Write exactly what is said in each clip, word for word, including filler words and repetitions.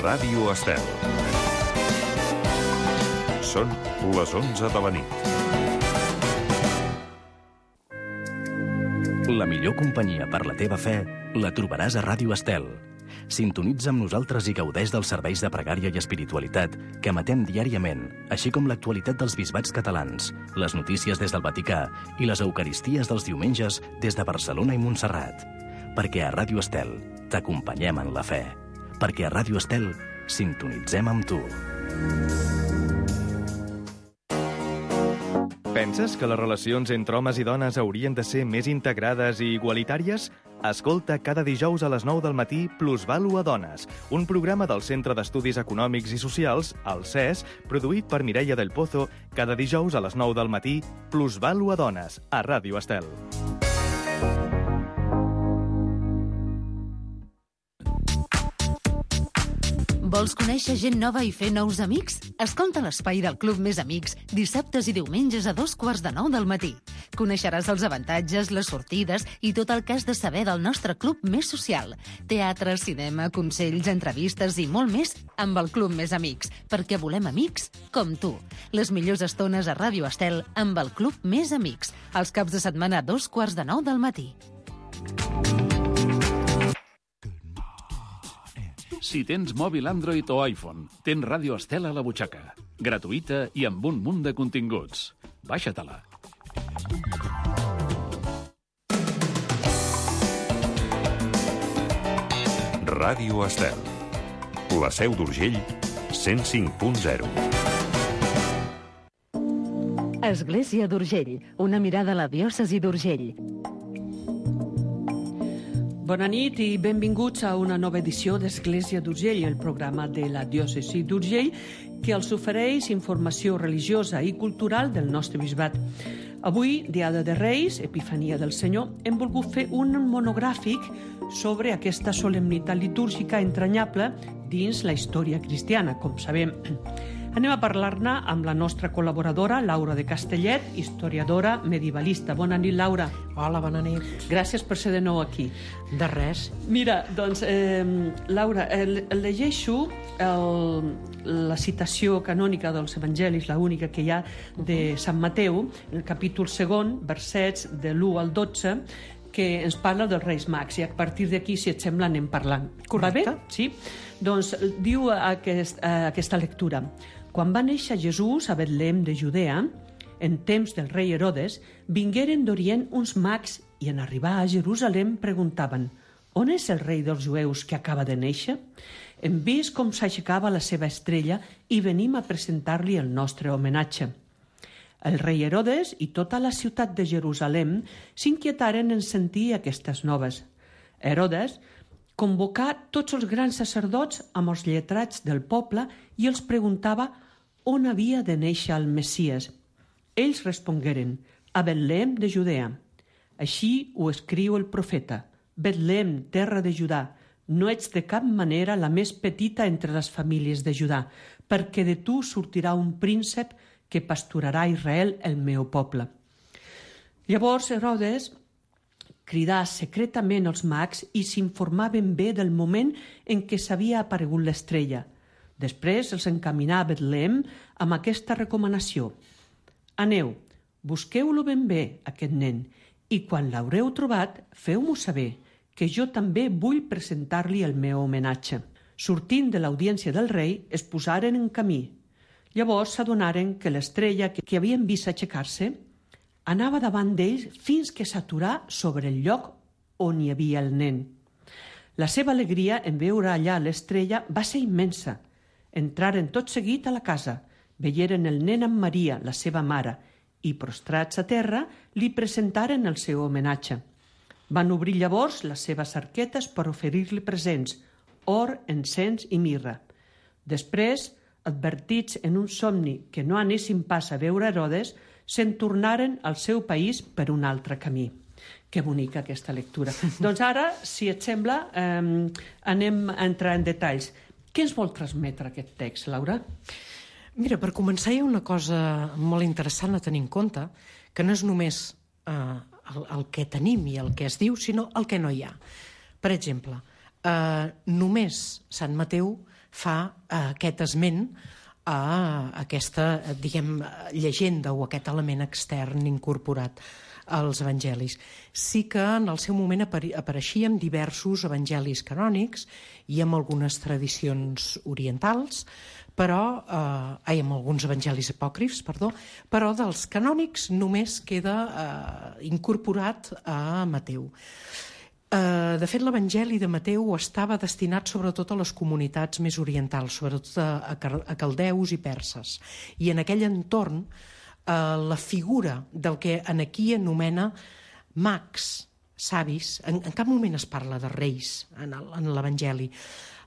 Ràdio Estel. Són les onze de la nit. La millor companyia per la teva fe la trobaràs a Ràdio Estel. Sintonitza amb nosaltres i gaudeix dels serveis de pregària i espiritualitat que emetem diàriament, així com l'actualitat dels bisbats catalans, les notícies des del Vaticà i les eucaristies dels diumenges des de Barcelona i Montserrat. Perquè a Ràdio Estel t'acompanyem en la fe. Perquè a Ràdio Estel sintonitzem amb tu. Penses que les relacions entre homes i dones haurien de ser més integrades i igualitàries? Escolta cada dijous a les nou del matí Plusvàlua Dones, un programa del Centre d'Estudis Econòmics i Socials, el C E S, produït per Mireia del Pozo, cada dijous a les nou del matí Plusvàlua Dones, a Ràdio Estel. Vols conèixer gent nova i fer nous amics? Escolta l'Espai del Club Més Amics dissabtes i diumenges a dos quarts de nou del matí. Coneixeràs els avantatges, les sortides i tot el que has de saber del nostre club més social. Teatre, cinema, consells, entrevistes i molt més amb el Club Més Amics, perquè volem amics com tu. Les millors estones a Ràdio Estel amb el Club Més Amics, els caps de setmana a dos quarts de nou del matí. Si tens mòbil Android o iPhone, tens Ràdio Estel a la butxaca. Gratuïta i amb un munt de continguts. Baixa-te-la. Ràdio Estel. La Seu d'Urgell, cent cinc punt zero. Església d'Urgell, una mirada a la diòcesi d'Urgell. Bona nit i benvinguts a una nova edició d'Església d'Urgell, el programa de la diòcesi d'Urgell, que els ofereix informació religiosa i cultural del nostre bisbat. Avui, Diada de Reis, Epifania del Senyor, hem volgut fer un monogràfic sobre aquesta solemnitat litúrgica entranyable dins la història cristiana, com sabem. Anem a parlar-ne amb la nostra col·laboradora, Laura de Castellet, historiadora medievalista. Bona nit, Laura. Hola, bona nit. Gràcies per ser de nou aquí. De res. Mira, doncs, eh, Laura, eh, llegeixo el, la citació canònica dels evangelis, la única que hi ha de Sant Mateu, el capítol segon, versets de l'u al dotze, que ens parla dels Reis Mags, i a partir d'aquí, si et sembla, anem parlant. Correcte. Va bé? Sí? Doncs diu aquest, aquesta lectura: quan va néixer Jesús a Betlem de Judea, en temps del rei Herodes, vingueren d'Orient uns mags i en arribar a Jerusalem preguntaven: on és el rei dels jueus que acaba de néixer? Hem vist com s'aixecava la seva estrella i venim a presentar-li el nostre homenatge. El rei Herodes i tota la ciutat de Jerusalem s'inquietaren en sentir aquestes noves. Herodes convocà tots els grans sacerdots amb els lletrats del poble i els preguntava on havia de néixer el Messies. Ells respongueren: a Betlem de Judea. Així ho escriu el profeta: Betlem, terra de Judà, no ets de cap manera la més petita entre les famílies de Judà, perquè de tu sortirà un príncep que pasturarà Israel, el meu poble. Llavors Herodes cridà secretament els mags i s'informaven bé del moment en què s'havia aparegut l'estrella. Després els encaminà a Betlem amb aquesta recomanació: aneu, busqueu-lo ben bé, aquest nen, i quan l'haureu trobat, feu-m'ho saber, que jo també vull presentar-li el meu homenatge. Sortint de l'audiència del rei, es posaren en camí. Llavors s'adonaren que l'estrella que havien vist aixecar-se anava davant d'ells fins que s'aturà sobre el lloc on hi havia el nen. La seva alegria en veure allà l'estrella va ser immensa. Entraren tot seguit a la casa, veieren el nen amb Maria, la seva mare, i, prostrats a terra, li presentaren el seu homenatge. Van obrir llavors les seves arquetes per oferir-li presents, or, encens i mirra. Després, advertits en un somni que no anessin pas a veure Herodes, se'n tornaren al seu país per un altre camí. Que bonica aquesta lectura. Doncs ara, si et sembla, eh, anem a entrar en detalls. Què ens vol transmetre aquest text, Laura? Mira, per començar hi ha una cosa molt interessant a tenir en compte, que no és només eh, el, el que tenim i el que es diu, sinó el que no hi ha. Per exemple, eh, només Sant Mateu fa aquest esment a aquesta, diguem, llegenda o aquest element extern incorporat als evangelis. Sí que en el seu moment apareixien diversos evangelis canònics i amb algunes tradicions orientals, però, eh, ai, amb alguns evangelis apòcrifs, perdó, però dels canònics només queda eh, incorporat a Mateu. Uh, de fet, l'Evangeli de Mateu estava destinat sobretot a les comunitats més orientals, sobretot a, a, a caldeus i perses. I en aquell entorn, uh, la figura del que en aquí anomena mags, savis, en, en cap moment es parla de reis en l'Evangeli.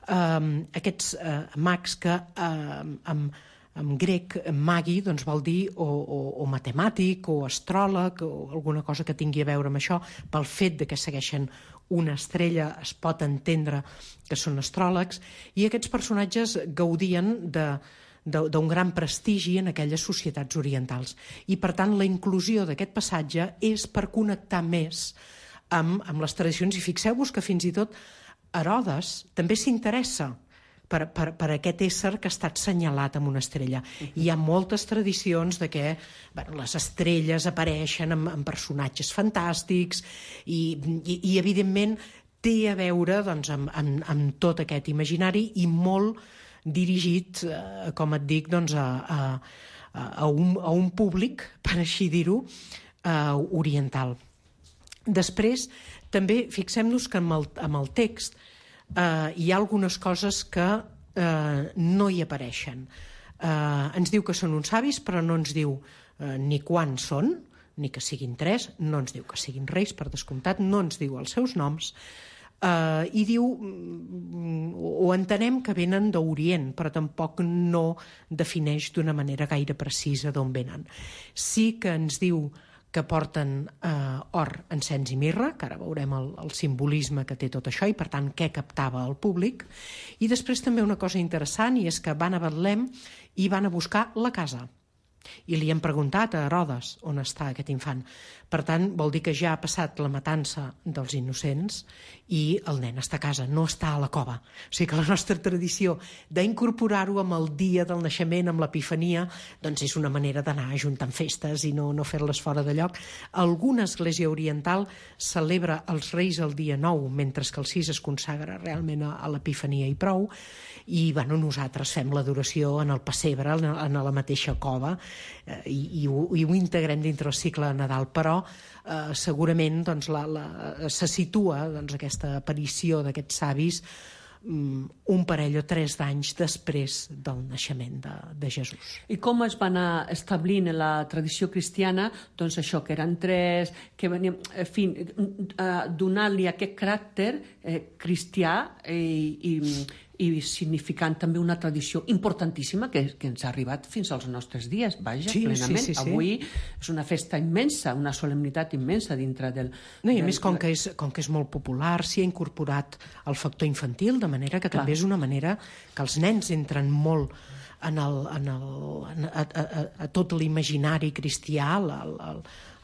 Um, aquests uh, mags que uh, amb, en grec magi doncs, vol dir o, o, o matemàtic o astròleg o alguna cosa que tingui a veure amb això. Pel fet de que segueixen una estrella es pot entendre que són astròlegs, i aquests personatges gaudien de, de, d'un gran prestigi en aquelles societats orientals. I per tant la inclusió d'aquest passatge és per connectar més amb, amb les tradicions, i fixeu-vos que fins i tot Herodes també s'interessa Per, per, per aquest ésser que ha estat senyalat amb una estrella. Hi ha moltes tradicions de que bueno, les estrelles apareixen amb, amb personatges fantàstics i, i, i evidentment té a veure doncs, amb, amb, amb tot aquest imaginari i molt dirigit, eh, com et dic, doncs, a, a, a, un, a un públic, per així dir-ho, eh, oriental. Després, també fixem-nos que amb el, amb el text Uh, hi ha algunes coses que uh, no hi apareixen. Uh, ens diu que són uns savis, però no ens diu uh, ni quan són, ni que siguin tres, no ens diu que siguin reis, per descomptat, no ens diu els seus noms, uh, i diu, o entenem que venen d'Orient, però tampoc no defineix d'una manera gaire precisa d'on venen. Sí que ens diu que porten eh, or, encens i mirra, que ara veurem el, el simbolisme que té tot això i, per tant, què captava el públic. I després també una cosa interessant, i és que van a Betlem i van a buscar la casa. I li han preguntat a Herodes on està aquest infant. Per tant, vol dir que ja ha passat la matança dels innocents i el nen està a casa, no està a la cova. O sigui que la nostra tradició d'incorporar-ho amb el dia del naixement, amb l'Epifania, doncs és una manera d'anar ajuntant festes i no, no fer-les fora de lloc. Alguna església oriental celebra els Reis el dia nou, mentre que el sis es consagra realment a, a l'Epifania i prou. I bueno, nosaltres fem l'adoració en el pessebre, en la mateixa cova, eh, i, i, ho, i ho integrem dintre el cicle de Nadal, però eh, segurament doncs, la, la, se situa doncs, aquesta aparició d'aquests savis um, un parell o tres d'anys després del naixement de, de Jesús. I com es va anar establint en la tradició cristiana doncs això, que eren tres, que venien, en fi, eh, donant-li aquest caràcter eh, cristià i, i i significant també una tradició importantíssima que, que ens ha arribat fins als nostres dies, vaja, sí, plenament. Sí, sí, sí. Avui és una festa immensa, una solemnitat immensa dintre del... No, i a del... més, com que, és, com que és molt popular, s'hi ha incorporat el factor infantil, de manera que Clar. també és una manera que els nens entren molt en el, en el, en, a, a, a tot l'imaginari cristià, el, el, el,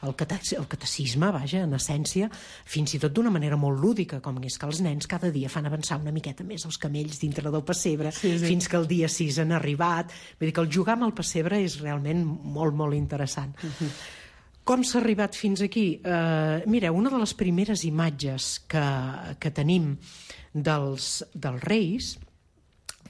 el catecisme, vaja, en essència, fins i tot d'una manera molt lúdica, com és que els nens cada dia fan avançar una miqueta més els camells dintre del pessebre, sí, sí. fins que el dia sis han arribat. Vull dir que el jugar amb el pessebre és realment molt, molt interessant. Uh-huh. Com s'ha arribat fins aquí? Uh, mireu, una de les primeres imatges que, que tenim dels, dels reis,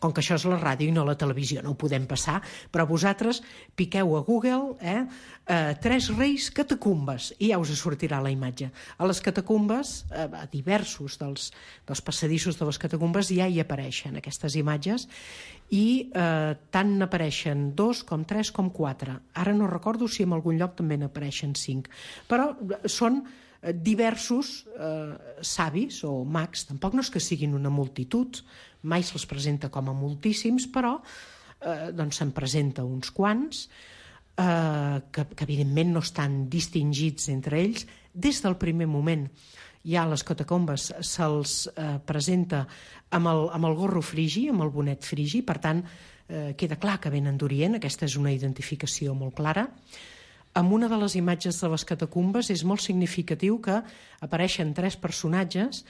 com que això és la ràdio i no la televisió, no ho podem passar, però vosaltres piqueu a Google eh, eh, tres reis catacumbes i ja us sortirà la imatge. A les catacumbes, eh, a diversos dels, dels passadissos de les catacumbes ja hi apareixen aquestes imatges i eh, tant n'apareixen dos com tres com quatre. Ara no recordo si en algun lloc també n'apareixen cinc, però són diversos eh, savis o mags, tampoc no és que siguin una multitud, mai se'ls presenta com a moltíssims, però eh, doncs se'n presenta uns quants eh, que, que evidentment no estan distingits entre ells des del primer moment. Ja a les catacombes se'ls eh, presenta amb el, amb el gorro frigi, amb el bonet frigi, per tant eh, queda clar que venen d'Orient, aquesta és una identificació molt clara. En una de les imatges de les catacumbes és molt significatiu que apareixen tres personatges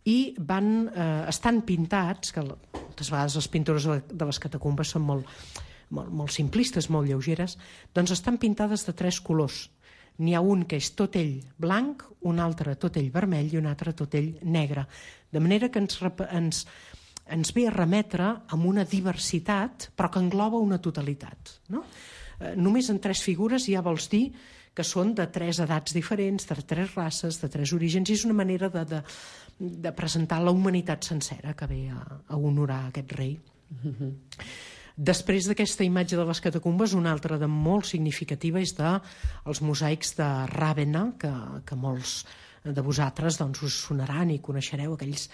i van, eh, estan pintats, que moltes vegades les pintures de les catacumbes són molt, molt, molt simplistes, molt lleugeres, doncs estan pintades de tres colors. N'hi ha un que és tot ell blanc, un altre tot ell vermell i un altre tot ell negre. De manera que ens, ens, ens ve a remetre amb una diversitat, però que engloba una totalitat. No? Eh, només en tres figures ja vols dir que són de tres edats diferents, de tres races, de tres orígens, i és una manera de, de, de presentar la humanitat sencera que ve a, a honorar aquest rei. Mm-hmm. Després d'aquesta imatge de les catacumbes, una altra de molt significativa és de els mosaics de Ravenna, que, que molts de vosaltres doncs, us sonaran i coneixereu aquells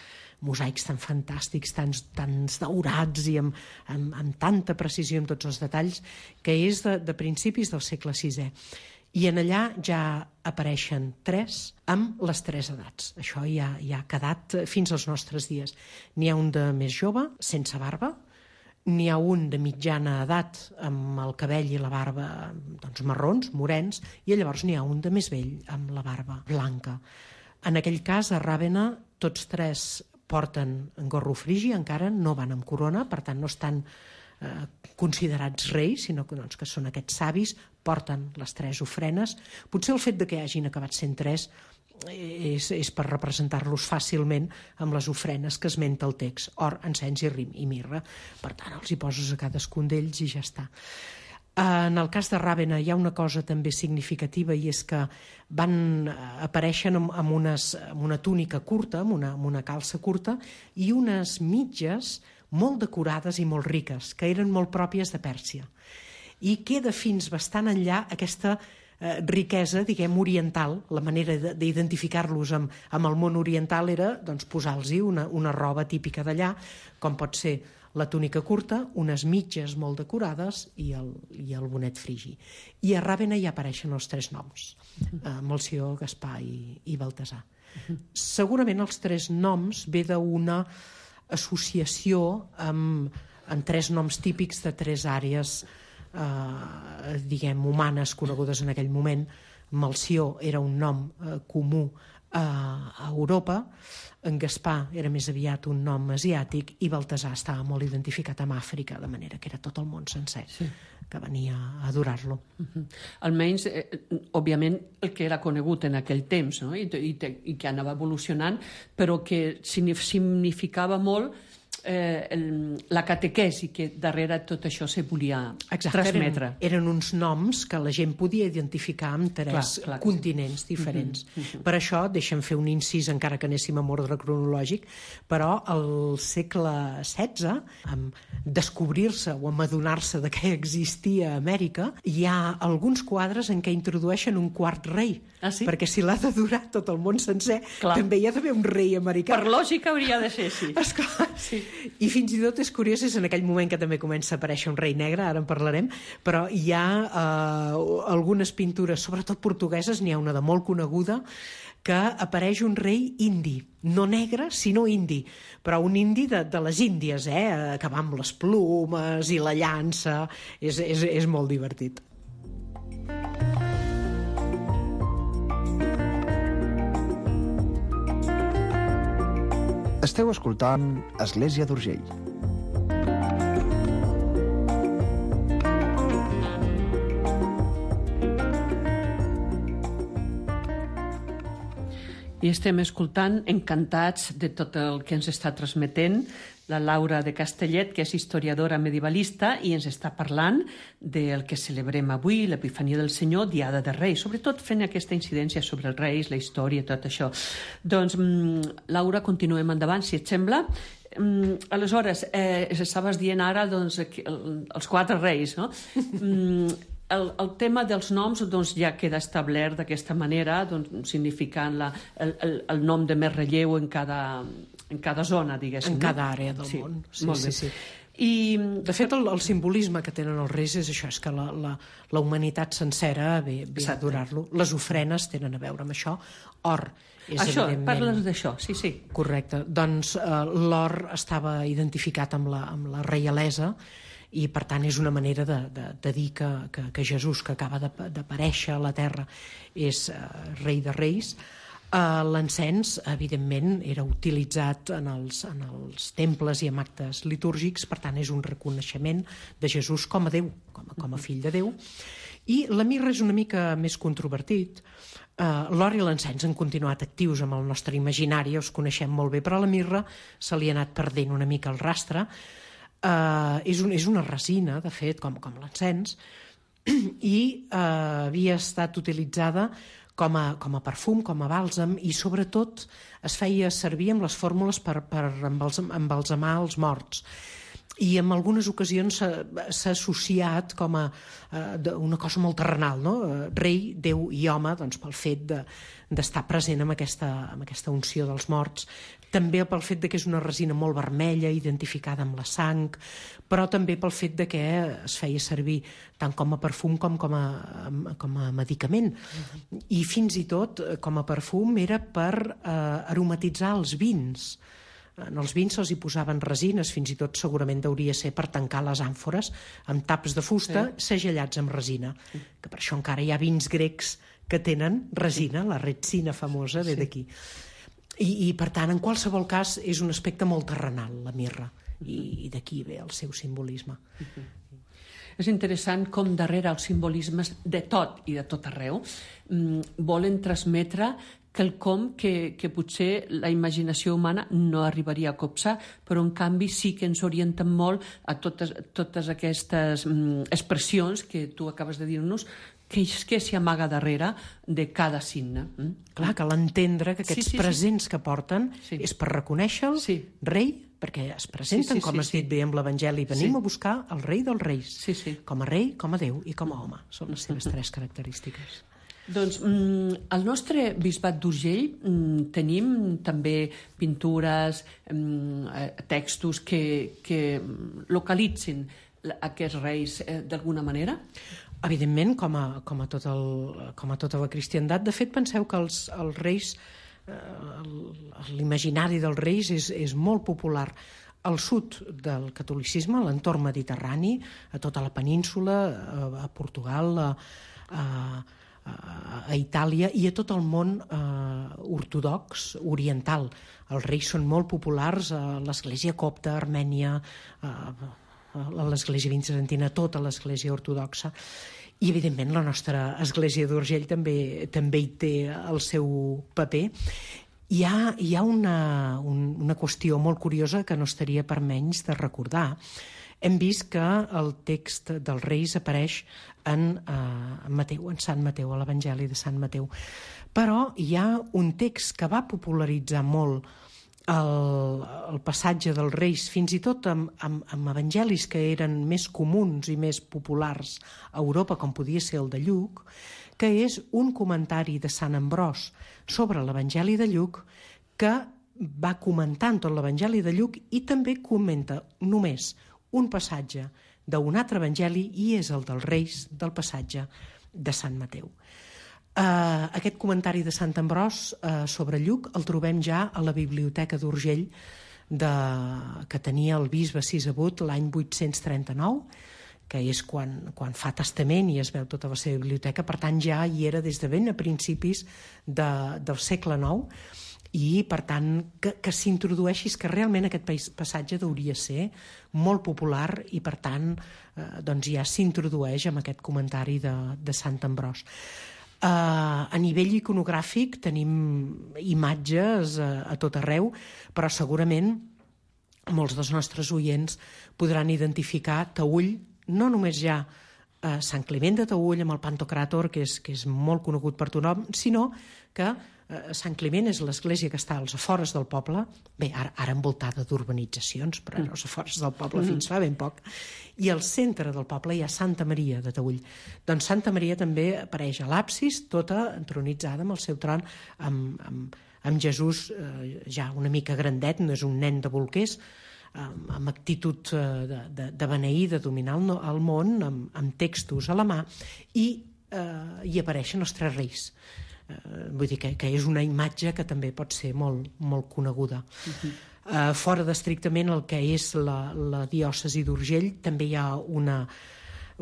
mosaics tan fantàstics, tan, tan daurats i amb, amb, amb tanta precisió en tots els detalls, que és de, de principis del segle sisè. I en allà ja apareixen tres amb les tres edats. Això ja, ja ha quedat fins als nostres dies. N'hi ha un de més jove, sense barba, n'hi ha un de mitjana edat amb el cabell i la barba doncs, marrons, morens, i llavors n'hi ha un de més vell amb la barba blanca. En aquell cas, a Ravenna, tots tres porten gorro frigi, encara no van amb corona, per tant no estan eh, considerats reis, sinó que, doncs, que són aquests savis, porten les tres ofrenes. Potser el fet de que hagin acabat sent tres és, és per representar-los fàcilment amb les ofrenes que esmenta el text: or, encens i rim i mirra. Per tant, els hi poses a cadascun d'ells i ja està. En el cas de Ravenna hi ha una cosa també significativa, i és que van apareixen amb, amb, unes, amb una túnica curta, amb una, amb una calça curta, i unes mitges molt decorades i molt riques, que eren molt pròpies de Pèrsia. I queda fins bastant enllà aquesta eh, riquesa, diguem, oriental. La manera d'identificar-los amb, amb el món oriental era doncs, posar-los una, una roba típica d'allà, com pot ser la túnica curta, unes mitges molt decorades i el, i el bonet frigi. I a Ravenna hi apareixen els tres noms, eh, Melcior, Gaspar i, i Baltasar. Segurament els tres noms ve d'una associació amb, amb tres noms típics de tres àrees eh, diguem, humanes conegudes en aquell moment. Melcior era un nom eh, comú a Europa, en Gaspar era més aviat un nom asiàtic i Baltasar estava molt identificat amb Àfrica, de manera que era tot el món sencer sí. que venia a adorar-lo. Uh-huh. Almenys, eh, òbviament, el que era conegut en aquell temps, no? I, i, i que anava evolucionant, però que significava molt eh, el, la catequesi que darrere tot això se volia Exacte, transmetre. Eren, eren uns noms que la gent podia identificar amb tres clar, clar continents sí. diferents. Uh-huh, uh-huh. Per això, deixa'm fer un incís, encara que anéssim amb ordre cronològic, però al segle setze, amb descobrir-se o amb adonar-se de què existia a Amèrica, hi ha alguns quadres en què introdueixen un quart rei. Ah, sí? Perquè si l'ha d'adorar tot el món sencer, clar. També hi ha d'haver un rei americà. Per lògica hauria de ser, sí. Esclar, sí. I fins i tot és curiós, és en aquell moment que també comença a aparèixer un rei negre, ara en parlarem, però hi ha eh, algunes pintures, sobretot portugueses, n'hi ha una de molt coneguda, que apareix un rei indi, no negre, sinó indi, però un indi de, de les Índies, eh, que va amb les plomes i la llança, és, és, és molt divertit. Esteu escoltant Església d'Urgell. I estem escoltant, encantats de tot el que ens està transmetent la Laura de Castellet, que és historiadora medievalista i ens està parlant del que celebrem avui, l'Epifania del Senyor, Diada de Reis, sobretot fent aquesta incidència sobre els reis, la història i tot això. Doncs, Laura, continuem endavant, si et sembla. Aleshores, eh, estaves dient ara doncs, els quatre reis, no? El, el tema dels noms doncs, ja queda establert d'aquesta manera, doncs, significant la, el, el, el nom de més relleu en cada, en cada zona, diguéssim. En cada àrea del sí, món. Sí, molt bé. sí, sí. I, de fet, el, el simbolisme que tenen els reis és això, és que la, la, la humanitat sencera ve, ve a adorar-lo. Les ofrenes tenen a veure amb això. Or, és això, evidentment... parles d'això, sí, sí. Correcte. Doncs eh, l'or estava identificat amb la, amb la reialesa, i per tant és una manera de, de, de dir que, que, que Jesús, que acaba d'aparèixer a la terra, és uh, rei de reis. Uh, L'encens, evidentment, era utilitzat en els, en els temples i en actes litúrgics, per tant, és un reconeixement de Jesús com a Déu, com a, com a fill de Déu. I la mirra és una mica més controvertit. Uh, L'or i l'encens han continuat actius amb el nostre imaginari, els coneixem molt bé, però la mirra se li ha anat perdent una mica el rastre. Uh, és, un, és una resina, de fet, com, com l'encens, i uh, havia estat utilitzada com a, com a perfum, com a bàlsam, i sobretot es feia servir amb les fórmules per, per embalsamar els morts. I en algunes ocasions s'ha associat com a uh, una cosa molt terrenal, no? Rei, Déu i home, doncs, pel fet de, d'estar present amb aquesta, amb aquesta unció dels morts, també pel fet de que és una resina molt vermella, identificada amb la sang, però també pel fet de que es feia servir tant com a perfum com com a, com a medicament. Uh-huh. I fins i tot, com a perfum, era per eh, aromatitzar els vins. En els vins se'ls hi posaven resines, fins i tot segurament hauria ser per tancar les àmfores amb taps de fusta sí. segellats amb resina, que per això encara hi ha vins grecs que tenen resina, la retsina famosa ve sí. d'aquí. I, I per tant, en qualsevol cas, és un aspecte molt terrenal, la mirra, i, i d'aquí ve el seu simbolisme. Uh-huh. És interessant com darrere els simbolismes de tot i de tot arreu mmm, volen transmetre quelcom que, que potser la imaginació humana no arribaria a copsar, però en canvi sí que ens orienten molt a totes, totes aquestes mm, expressions que tu acabes de dir-nos, que és que s'hi amaga darrere de cada signe. Mm? Clar, cal entendre que aquests sí, sí, presents sí. que porten sí. és per reconèixer-lo sí. rei, perquè es presenten, sí, sí, com has sí, dit sí. bé amb l'Evangeli, venim sí. a buscar el rei dels reis, sí, sí. com a rei, com a Déu i com a home. Són les seves tres característiques. Doncs mm, al nostre bisbat d'Urgell mm, tenim també pintures, mm, textos que, que localitzin aquests reis eh, d'alguna manera? Evidentment, com a, com, a tot el, com a tota la cristiandat. De fet, penseu que els, els reis, eh, l'imaginari dels reis és, és molt popular al sud del catolicisme, a l'entorn mediterrani, a tota la península, a, a Portugal, a, a a Itàlia i a tot el món eh, ortodox oriental. Els reis són molt populars a l'església copta, a Armènia, a, a l'església bizantina, tota l'església ortodoxa. I, evidentment, la nostra església d'Urgell també, també hi té el seu paper. Hi ha, hi ha una, un, una qüestió molt curiosa que no estaria per menys de recordar. Hem vist que el text dels Reis apareix en, eh, en Mateu, en Sant Mateu, a l'Evangeli de Sant Mateu. Però hi ha un text que va popularitzar molt el, el passatge dels Reis, fins i tot amb, amb, amb evangelis que eren més comuns i més populars a Europa, com podia ser el de Lluc, que és un comentari de Sant Ambròs sobre l'Evangeli de Lluc que va comentant tot l'Evangeli de Lluc i també comenta només un passatge d'un altre evangeli i és el dels Reis del passatge de Sant Mateu. Uh, aquest comentari de Sant Ambròs uh, sobre Lluc el trobem ja a la biblioteca d'Urgell de, que tenia el bisbe Sisebut l'any vuit-cents trenta-nou, que és quan, quan fa testament i es veu tota la seva biblioteca, per tant ja hi era des de ben a principis de, del segle nou, i, per tant, que, que s'introdueixi, que realment aquest passatge hauria ser molt popular i, per tant, eh, doncs ja s'introdueix amb aquest comentari de, de Sant Ambròs. Eh, a nivell iconogràfic tenim imatges a, a tot arreu, però segurament molts dels nostres oients podran identificar Taüll, no només ja eh, Sant Climent de Taüll amb el Pantocràtor, que és, que és molt conegut per tothom, sinó que Sant Climent és l'església que està als afores del poble, bé, ara, ara envoltada d'urbanitzacions, però era als afores del poble fins fa ben poc, i al centre del poble hi ha Santa Maria de Taüll. Doncs Santa Maria també apareix a l'absis, tota entronitzada amb el seu tron, amb, amb, amb Jesús eh, ja una mica grandet, no és un nen de bolquers, amb, amb actitud de, de, de beneir, de dominar el, el món, amb, amb textos a la mà, i eh, hi apareixen els tres reis. Uh, vull dir que, que és una imatge que també pot ser molt, molt coneguda. Uh-huh. uh, fora d'estrictament el que és la, la diòcesi d'Urgell, també hi ha una,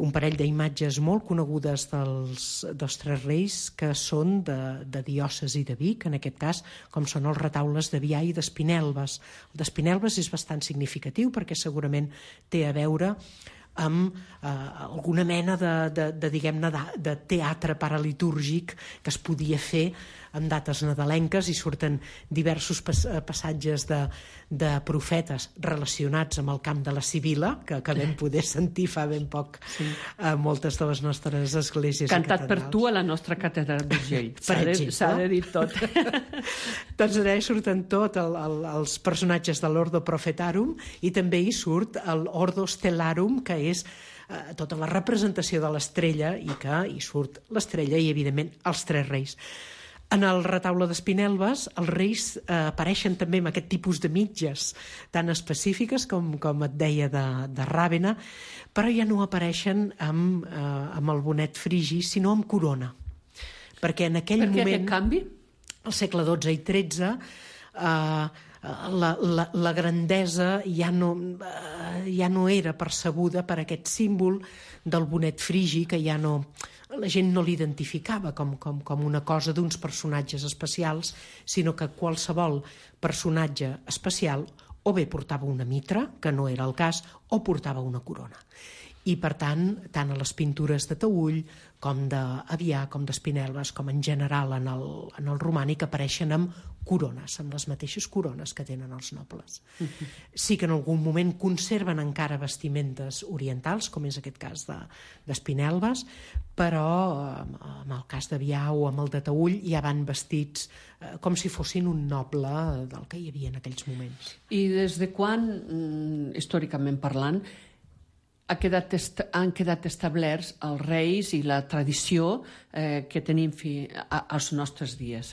un parell d'imatges molt conegudes dels, dels Tres Reis que són de, de diòcesi de Vic, en aquest cas, com són els retaules de Biai i d'Espinelves. El d'Espinelves és bastant significatiu perquè segurament té a veure amb eh, alguna mena de, de, de, diguem-ne, de, de teatre paralitúrgic que es podia fer en dates nadalenques i surten diversos pas, passatges de, de profetes relacionats amb el camp de la Sibila, que, que vam poder sentir fa ben poc sí. a moltes de les nostres esglésies cantat per tu a la nostra catedral d'Urgell. S'ha de, s'ha de dir tot. Doncs allà hi surten tot el, el, els personatges de l'Ordo Profetarum i també hi surt l'Ordo Stellarum, que és eh, tota la representació de l'estrella i que hi surt l'estrella i, evidentment, els Tres Reis. En el retaule d'Espinelves, els reis eh, apareixen també amb aquest tipus de mitges tan específiques com, com et deia de, de Ràvena, però ja no apareixen amb, eh, amb el bonet frigi, sinó amb corona. Perquè en aquell per què moment... aquest canvi? Al segle dotze i tretze, eh, la, la, la grandesa ja no, eh, ja no era percebuda per aquest símbol del bonet frigi, que ja no... la gent no l'identificava com, com, com una cosa d'uns personatges especials, sinó que qualsevol personatge especial o bé portava una mitra, que no era el cas, o portava una corona. I, per tant, tant a les pintures de Taüll, com d'Avià, com d'Espinelves, com en general en el, en el romànic, apareixen amb corones, amb les mateixes corones que tenen els nobles. Uh-huh. Sí que en algun moment conserven encara vestimentes orientals, com és aquest cas d'Espinelves, però en el cas d'Avià o amb el de Taüll ja van vestits eh, com si fossin un noble del que hi havia en aquells moments. I des de quan, històricament parlant, ha quedat est han quedat establerts els reis i la tradició eh, que tenim fi a, als nostres dies?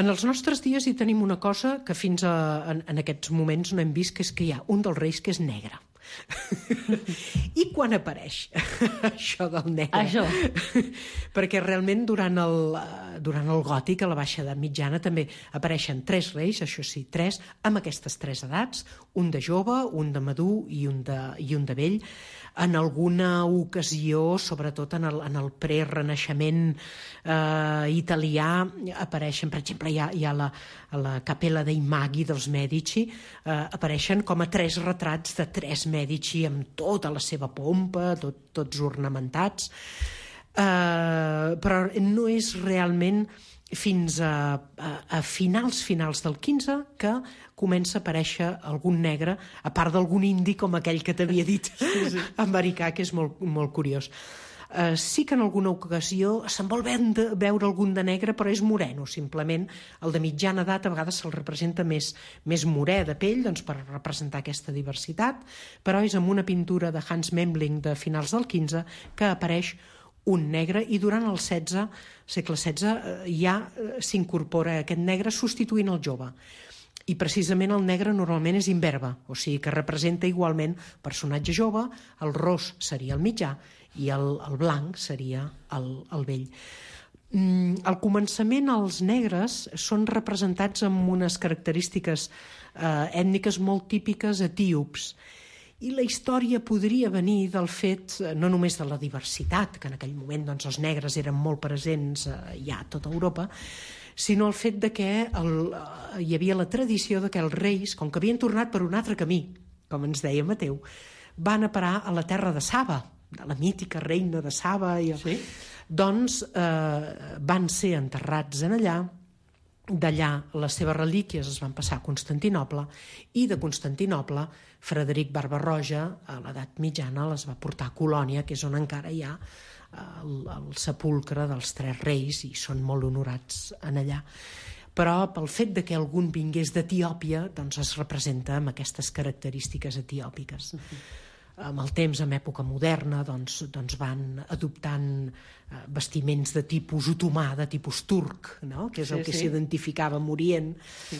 En els nostres dies hi tenim una cosa que fins a, en, en aquests moments no hem vist, que és que hi ha un dels reis que és negre. I quan apareix això del negre? Això. Perquè realment durant el, durant el gòtic, a la baixa edat mitjana, també apareixen tres reis, això sí, tres, amb aquestes tres edats, un de jove, un de madur i un de, i un de vell. En alguna ocasió, sobretot en el, en el prerenaixement eh, italià, apareixen, per exemple, hi ha, hi ha la, la Capella dei Maghi dels Mèdici, eh, apareixen com a tres retrats de tres Mèdici amb tota la seva pompa, tot, tots ornamentats, eh, però no és realment fins a, a, a finals finals del quinze que comença a aparèixer algun negre, a part d'algun indi com aquell que t'havia dit, sí, sí. americà, que és molt, molt curiós. Uh, sí que en alguna ocasió se'n vol veure algun de negre, però és moreno, simplement. El de mitjana edat a vegades se'l representa més, més morè de pell, doncs, per representar aquesta diversitat, però és amb una pintura de Hans Memling de finals del quinze que apareix un negre, i durant el setze, segle setze, ja s'incorpora aquest negre substituint el jove. I precisament el negre normalment és imberbe, o sigui que representa igualment personatge jove, el ros seria el mitjà i el, el blanc seria el, el vell. Mm, al començament els negres són representats amb unes característiques eh, ètniques molt típiques etíops. I la història podria venir del fet, no només de la diversitat, que en aquell moment doncs, els negres eren molt presents eh, ja a tota Europa, sinó el fet de que el, eh, hi havia la tradició de que els reis, com que havien tornat per un altre camí, com ens deia Mateu, van a parar a la terra de Saba, de la mítica reina de Saba, i, sí? doncs eh, van ser enterrats en allà. D'allà les seves relíquies es van passar a Constantinoble, i de Constantinoble Frederic Barba-roja a l'edat mitjana les va portar a Colònia, que és on encara hi ha el, el sepulcre dels tres reis, i són molt honorats en allà. Però pel fet de que algun vingués d'Etiòpia, doncs es representa amb aquestes característiques etiòpiques. Uh-huh. Amb el temps, en època moderna, doncs, doncs van adoptant eh, vestiments de tipus otomà, de tipus turc, no? Que és sí, el que s'identificava amb Orient. Sí.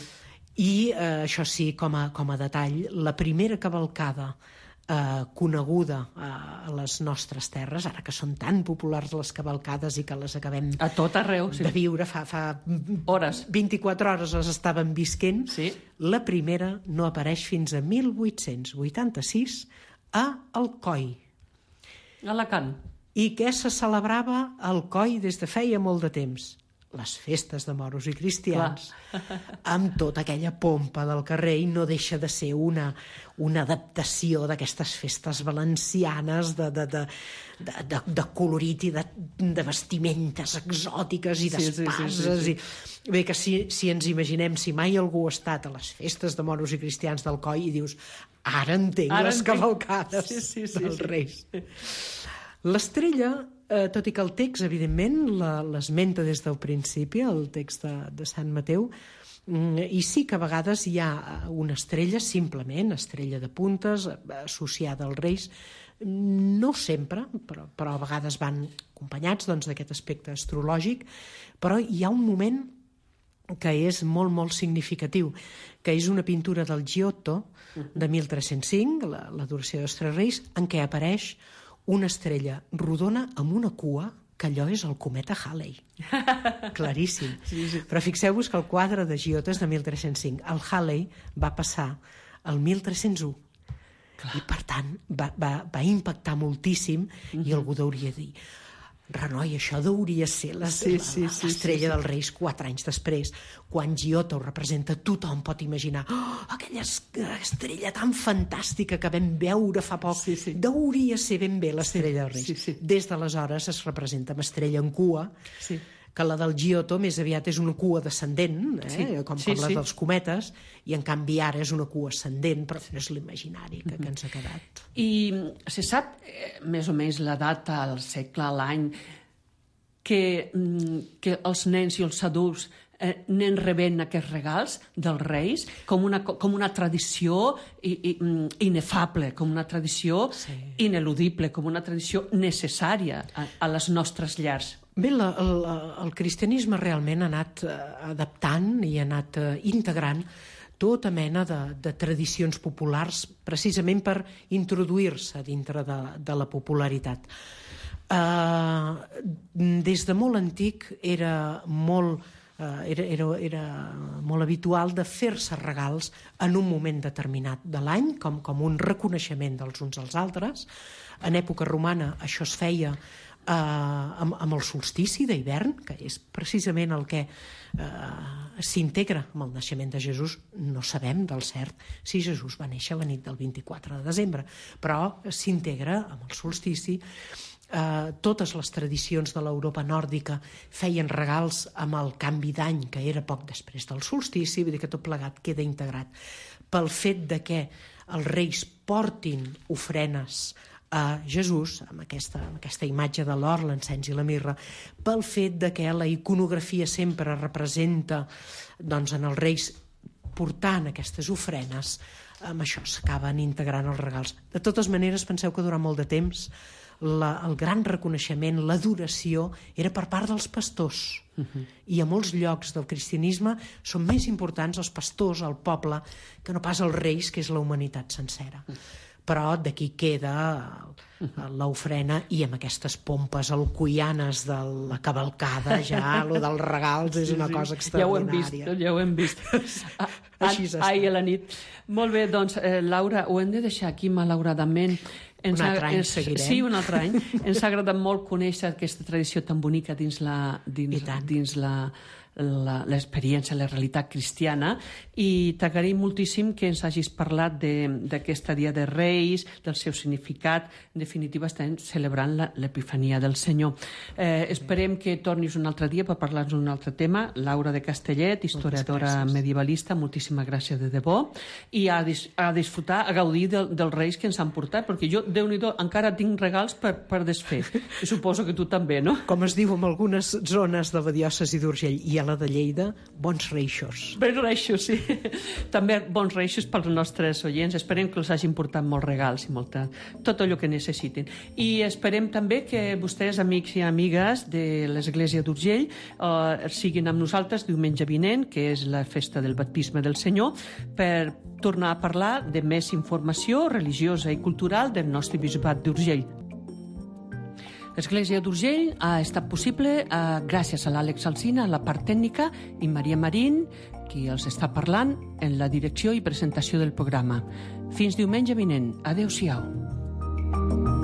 I eh, això sí, com a, com a detall, la primera cavalcada eh, coneguda eh, a les nostres terres, ara que són tan populars les cavalcades i que les acabem a tot arreu, sí. de viure fa, fa hores. vint-i-quatre hores les estàvem visquent, sí. La primera no apareix fins a mil vuit-cents vuitanta-sis a Alcoi. Alacant. I què se celebrava al Coi des de feia molt de temps? Les festes de moros i cristians, amb tota aquella pompa del carrer, i no deixa de ser una, una adaptació d'aquestes festes valencianes de, de, de, de, de, de colorit i de, de vestimentes exòtiques i d'espases. Sí, sí, sí, sí, sí. I bé, que si, si ens imaginem, si mai algú ha estat a les festes de moros i cristians del Coi i dius, ara entenc ara les entenc. cavalcades sí, sí, sí, dels sí. Reis. L'estrella, eh, tot i que el text, evidentment, l'esmenta des del principi, el text de, de Sant Mateu, i sí que a vegades hi ha una estrella, simplement, estrella de puntes, associada als Reis, no sempre, però, però a vegades van acompanyats doncs, d'aquest aspecte astrològic, però hi ha un moment que és molt, molt significatiu, que és una pintura del Giotto de mil tres-cents cinc, la, l'adoració dels Tres Reis, en què apareix una estrella rodona amb una cua, que allò és el cometa Halley. Claríssim. Sí, sí. Però fixeu-vos que el quadre de Giotto és de mil tres-cents cinc. El Halley va passar el mil tres-cents u. Clar. I, per tant, va, va, va impactar moltíssim uh-huh. i algú hauria de dir renoi, això hauria ser la, sí, sí, sí, l'estrella sí, sí. dels Reis quatre anys després. Quan Giotto ho representa, tothom pot imaginar oh, aquella estrella tan fantàstica que vam veure fa poc. Sí, sí. Hauria ser ben bé l'estrella dels Reis. Sí, sí. Des d'aleshores es representa amb estrella en cua, sí. que la del Giotto més aviat és una cua descendent, eh? sí. com, com sí, la sí. dels cometes, i en canvi ara és una cua ascendent, però no és l'imaginari que, que ens ha quedat. I se sap eh, més o menys la data, el segle, l'any, que, que els nens i els adults eh, anen rebent aquests regals dels Reis com una, com una tradició i, i, inefable, com una tradició sí. ineludible, com una tradició necessària a, a les nostres llars. Bé, la, el, el cristianisme realment ha anat eh, adaptant i ha anat eh, integrant tota mena de, de tradicions populars precisament per introduir-se dintre de, de la popularitat. Eh, des de molt antic era molt, eh, era, era, era molt habitual de fer-se regals en un moment determinat de l'any, com, com un reconeixement dels uns als altres. En època romana això es feia Uh, amb, amb el solstici d'hivern, que és precisament el que uh, s'integra amb el naixement de Jesús. No sabem del cert si Jesús va néixer la nit del vint-i-quatre de desembre, però s'integra amb el solstici. Uh, totes les tradicions de l'Europa nòrdica feien regals amb el canvi d'any, que era poc després del solstici, vull dir que tot plegat queda integrat pel fet de que els reis portin ofrenes a Jesús, amb aquesta, amb aquesta imatge de l'or, l'encens i la mirra, pel fet de que la iconografia sempre representa doncs, en els reis portant aquestes ofrenes, amb això s'acaben integrant els regals. De totes maneres, penseu que durant molt de temps la, el gran reconeixement, l'adoració, era per part dels pastors. Uh-huh. I a molts llocs del cristianisme són més importants els pastors, el poble, que no pas els reis, que és la humanitat sencera. Uh-huh. Però d'aquí queda l'ofrena i amb aquestes pompes alcoianes de la cavalcada ja, lo dels regals és una sí, sí. cosa extraordinària. Ja ho hem vist, ja ho hem vist. A, a, ahir a la nit. Molt bé, doncs, eh, Laura, ho hem de deixar aquí malauradament. Ens un altre ha, any ens, seguirem. Sí, un altre any. Ens ha agradat molt conèixer aquesta tradició tan bonica dins la, dins, dins la, la, l'experiència, la realitat cristiana, i t'agraïm moltíssim que ens hagis parlat d'aquesta Dia de Reis, del seu significat. En definitiva, estem celebrant la, l'Epifania del Senyor. Eh, esperem que tornis un altre dia per parlar-nos d'un altre tema. Laura de Castellet, historiadora medievalista, moltíssimes gràcies de debò, i a, dis, a disfrutar, a gaudir de, dels Reis que ens han portat, perquè jo, Déu-n'hi-do, encara tinc regals per, per desfer. I suposo que tu també, no? Com es diu en algunes zones de la diòcesi d'Urgell i a la de Lleida, bons reixos. Bons reixos, sí. També bons reixos pels nostres oients. Esperem que els hagin portat molts regals i molta, tot allò que necessitin. I esperem també que vostès, amics i amigues de l'Església d'Urgell, eh, siguin amb nosaltres diumenge vinent, que és la festa del baptisme del Senyor, per tornar a parlar de més informació religiosa i cultural del nostre bisbat d'Urgell. L'Església d'Urgell ha estat possible eh, gràcies a l'Àlex Alsina, a la part tècnica, i Maria Marín, qui els està parlant en la direcció i presentació del programa. Fins diumenge vinent. Adéu-siau.